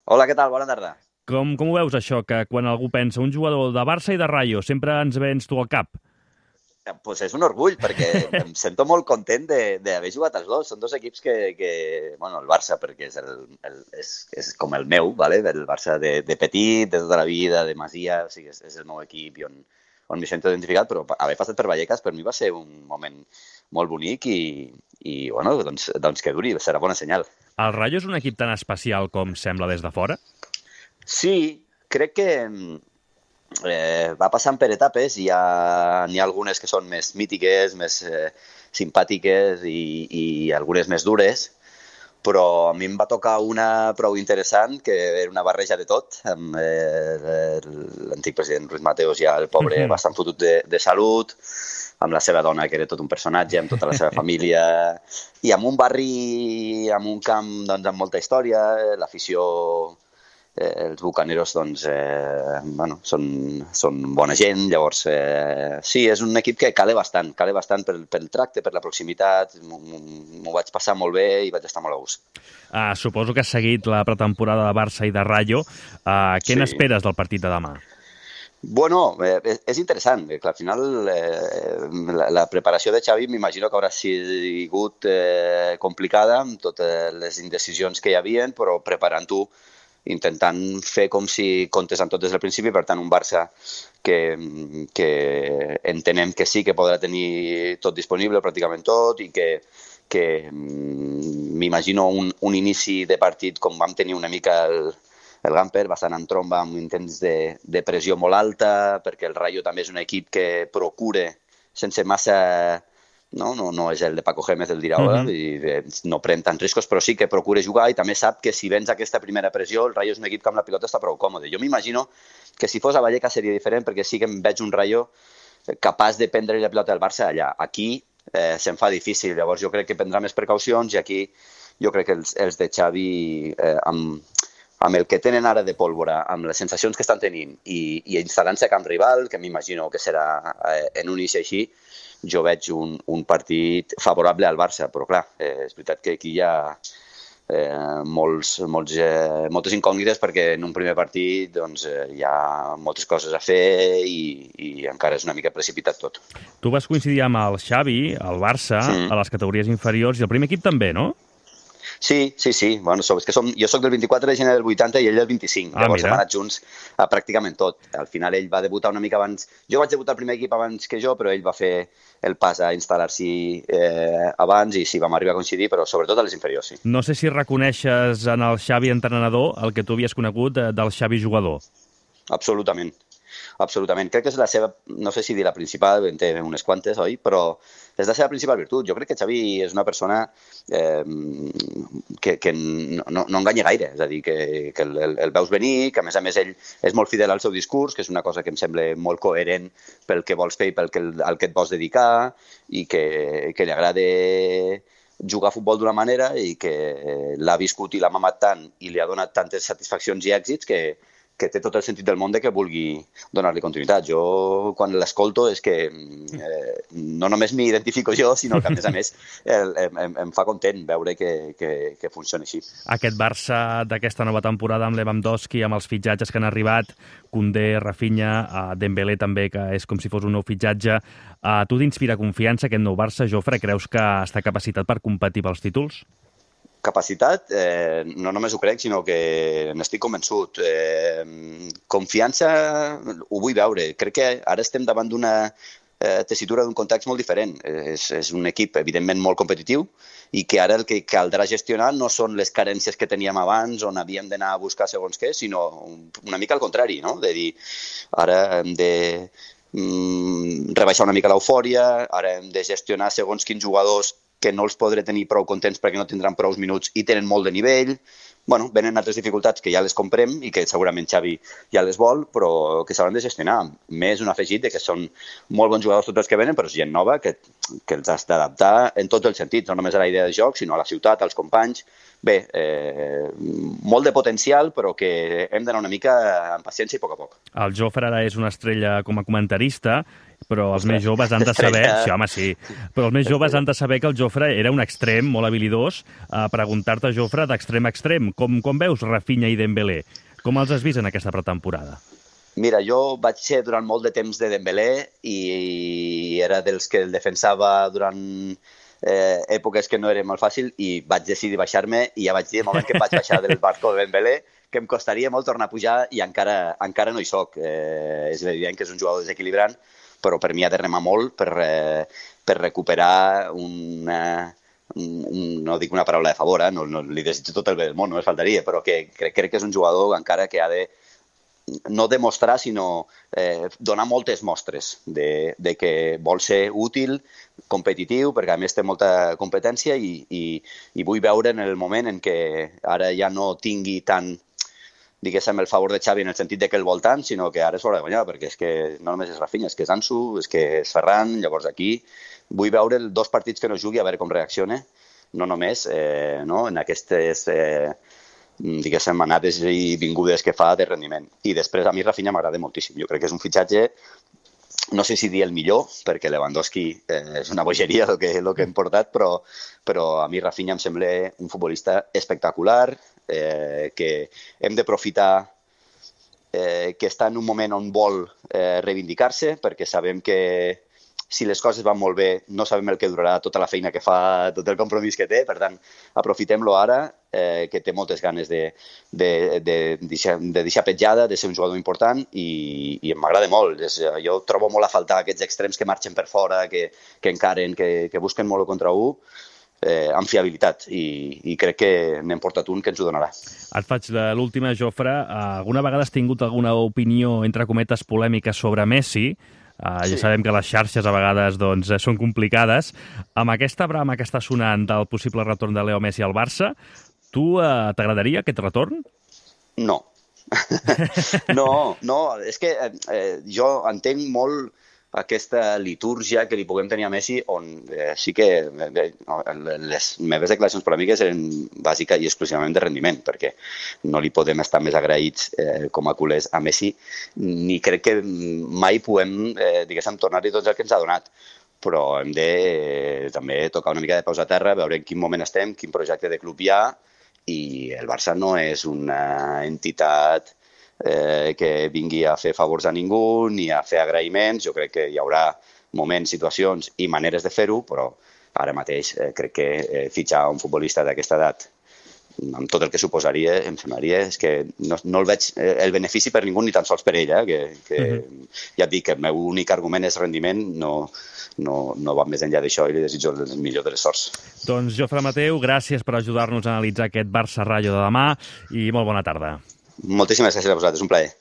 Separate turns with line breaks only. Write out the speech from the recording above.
Hola, què tal? Bona tarda.
Com ho veus, això, que quan algú pensa un jugador de Barça i de Rayo sempre ens vens tu al cap?
Pues és un orgull, perquè em sento molt content d'haver jugat als dos. Són dos equips bueno, el Barça, perquè és com el meu, ¿vale? El Barça de petit, de tota la vida, de Masia, o sigui, és el meu equip i on m'hi sento identificat, però haver passat per Vallecas per mi va ser un moment molt bonic i bueno, doncs que duri, serà bona senyal.
El Rayo és un equip tan especial com sembla des de fora?
Sí, crec que va passant per etapes i n'hi ha algunes que són més mítiques, més simpàtiques i algunes més dures, però a mi em va tocar una prou interessant, que era una barreja de tot, amb l'antic president Ruiz Mateos, ja el pobre bastant fotut de salut, amb la seva dona, que era tot un personatge, amb tota la seva família, i amb un barri, amb un camp doncs, amb molta història, l'afició els bucaneros doncs, bueno, són bona gent, llavors sí, és un equip que cale bastant pel tracte, per la proximitat, m'ho vaig passar molt bé i vaig estar molt a gust.
Suposo que has seguit la pretemporada de Barça i de Rayo. Què
Sí.
n'esperes del partit de demà?
Bueno, és interessant, que al final la preparació de Xavi m'imagino que haurà sigut complicada amb totes les indecisions que hi havien, però preparant-ho intentant fer com si comptés amb tot des del principi, per tant un Barça que entenem que sí que podrà tenir tot disponible, pràcticament tot, i que m'imagino un inici de partit com vam tenir una mica el Gamper, bastant en tromba, amb intents de pressió molt alta, perquè el Rayo també és un equip que procure sense massa no és el de Paco Gémez, el d'Iraola, no pren tants riscos, però sí que procura jugar i també sap que si vens aquesta primera pressió, el Rayo és un equip que amb la pilota està prou còmode. Jo m'imagino que si fos a Vallecas seria diferent, perquè sí que em veig un Rayo capaç de prendre la pilota del Barça allà. Aquí se'n fa difícil, llavors jo crec que prendrà més precaucions i aquí jo crec que els de Xavi amb el que tenen ara de pólvora, amb les sensacions que estan tenint i instal·lant-se a camp rival, que m'imagino que serà en un inici així, jo veig un partit favorable al Barça, però clar, és veritat que aquí hi ha moltes incògnites perquè en un primer partit doncs, hi ha moltes coses a fer i encara és una mica precipitat tot.
Tu vas coincidir amb el Xavi, al Barça, a les categories inferiors, i el primer equip també, no?
Sí. Bueno, és que jo soc del 24 de gener del 80 i ell del 25. Llavors hem anat junts a pràcticament tot. Al final ell va debutar una mica abans. Jo vaig debutar al primer equip abans que jo, però ell va fer el pas a instal·lar-s'hi abans i sí, vam arribar a coincidir, però sobretot a les inferiors, sí.
No sé si reconeixes en el Xavi entrenador el que tu havies conegut del Xavi jugador.
Absolutament. Absolutament. Crec que és la seva, no sé si dir la principal, en té unes quantes, oi? Però és la seva principal virtut. Jo crec que Xavi és una persona que no enganya gaire. És a dir, que el veus venir, que a més ell és molt fidel al seu discurs, que és una cosa que em sembla molt coherent pel que vols fer i al que et vols dedicar, i que li agrada jugar a futbol d'una manera i que l'ha viscut i l'ha mamat tant i li ha donat tantes satisfaccions i èxits que té tot el sentit del món de que vulgui donar-li continuïtat. Jo, quan l'escolto, és que no només m'identifico jo, sinó que, a més, em fa content veure que funciona així.
Aquest Barça d'aquesta nova temporada amb Lewandowski, amb els fitxatges que han arribat, Koundé, Rafinha, Dembélé també, que és com si fos un nou fitxatge, tu t'inspira confiança aquest nou Barça, Jofre? Creus que està capacitat per competir pels títols?
Capacitat, no només ho crec, sinó que n'estic convençut. Confiança ho vull veure. Crec que ara estem davant d'una tessitura d'un context molt diferent. És un equip, evidentment, molt competitiu i que ara el que caldrà gestionar no són les carències que teníem abans, on havíem d'anar a buscar segons què, sinó una mica al contrari, no? De dir, ara hem de rebaixar una mica l'eufòria, ara hem de gestionar segons quins jugadors que no els podré tenir prou contents perquè no tindran prou minuts i tenen molt de nivell. Bueno, venen altres dificultats que ja les comprem i que segurament Xavi ja les vol, però que s'hauran de gestionar. Més un afegit de que són molt bons jugadors tots els que venen, però és gent nova que els has d'adaptar en tots els sentits, no només a la idea de joc, sinó a la ciutat, als companys. Bé, molt de potencial, però que hem d'anar una mica amb paciència i a poc a poc.
El Jofre ara és una estrella com a comentarista, però els més joves han de saber... Sí, home, sí. Però els més joves han de saber que el Jofre era un extrem molt habilidós. Preguntar-te, Jofre, d'extrem a extrem, com veus Rafinha i Dembélé? Com els has vist en aquesta pretemporada?
Mira, jo vaig ser durant molt de temps de Dembélé i era dels que el defensava durant èpoques que no era molt fàcil i vaig decidir baixar-me i ja vaig dir, el moment que em vaig baixar del barco de Dembélé, que em costaria molt tornar a pujar i encara no hi soc. És evident que és un jugador desequilibrant, però per mi ha de remar molt per recuperar no dic una paraula de favor, no li desitjo tot el bé del món, no es faltaria, però que crec que és un jugador encara que ha de no demostrar, sinó donar moltes mostres de que vol ser útil, competitiu, perquè a més té molta competència i vull veure en el moment en què ara ja no tingui tant, diguéssim, el favor de Xavi en el sentit de que el vol tant, sinó que ara és hora de guanyar, perquè és que no només és Rafinha, és que és Ansu, és que és Ferran, llavors aquí vull veure els 2 partits que no jugui, a veure com reacciona, no només en aquestes diguéssim, anades i vingudes que fa de rendiment. I després a mi Rafinha m'agrada moltíssim. Jo crec que és un fitxatge, no sé si dir el millor, perquè Lewandowski és una bogeria el que hem portat, però a mi Rafinha em sembla un futbolista espectacular, que hem d'aprofitar que està en un moment on vol reivindicar-se, perquè sabem que si les coses van molt bé, no sabem el que durarà tota la feina que fa, tot el compromís que té, per tant, aprofitem-lo ara, que té moltes ganes de deixar petjada, de ser un jugador important i m'agrada molt. Jo trobo molt a faltar aquests extrems que marxen per fora, que encaren, que busquen molt contra un, amb fiabilitat i crec que n'hem portat un que ens ho donarà.
Et faig l'última, Jofre. Alguna vegada has tingut alguna opinió, entre cometes, polèmica sobre Messi? Ja sabem que les xarxes a vegades són complicades. Amb aquesta brama que està sonant del possible retorn de Leo Messi al Barça, tu t'agradaria aquest retorn?
No. No, és que jo entenc molt aquesta litúrgia que li puguem tenir a Messi, on sí que les meves declaracions polèmiques eren bàsica i exclusivament de rendiment, perquè no li podem estar més agraïts com a culers a Messi, ni crec que mai puguem, diguéssim, tornar-li tot el que ens ha donat. Però hem de també tocar una mica de peus a terra, veure en quin moment estem, quin projecte de club hi ha, i el Barça no és una entitat que vingui a fer favors a ningú ni a fer agraïments. Jo crec que hi haurà moments, situacions i maneres de fer-ho, però ara mateix crec que fitxar un futbolista d'aquesta edat amb tot el que suposaria, em semblaria és que no el veig el benefici per ningú ni tan sols per ell, que ja et dic que el meu únic argument és rendiment, no va més enllà d'això i li desitjo el millor de les sorts.
Doncs Jofre Mateu, gràcies per ajudar-nos a analitzar aquest Barça-Rayo de demà i molt bona tarda.
Moltíssimes gràcies a vosaltres, un plaer.